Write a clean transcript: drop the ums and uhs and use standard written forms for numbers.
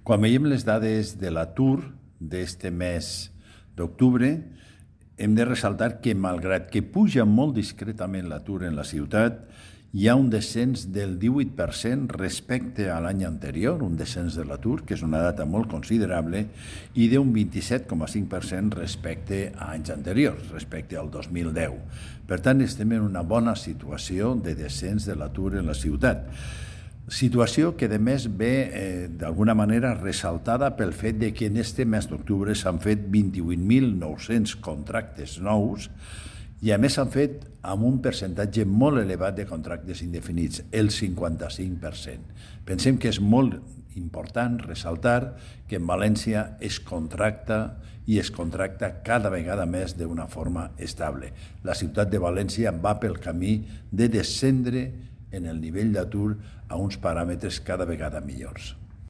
Quan veiem les dades de l'atur d'este mes d'octubre, hem de ressaltar que, malgrat que puja molt discretament l'atur en la ciutat, hi ha un descens del 18% respecte a l'any anterior, un descens de l'atur, que és una data molt considerable, i d'un 27,5% respecte a anys anteriors, respecte al 2010. Per tant, estem en una bona situació de descens de l'atur en la ciutat. Situació que, a més, ve d'alguna manera ressaltada pel fet de que en este mes d'octubre s'han fet 28.900 contractes nous i, a més, s'han fet amb un percentatge molt elevat de contractes indefinits, el 55%. Pensem que és molt important ressaltar que en València es contracta i es contracta cada vegada més d'una forma estable. La ciutat de València va pel camí de descendre en el nivell d'atur a uns paràmetres cada vegada millors.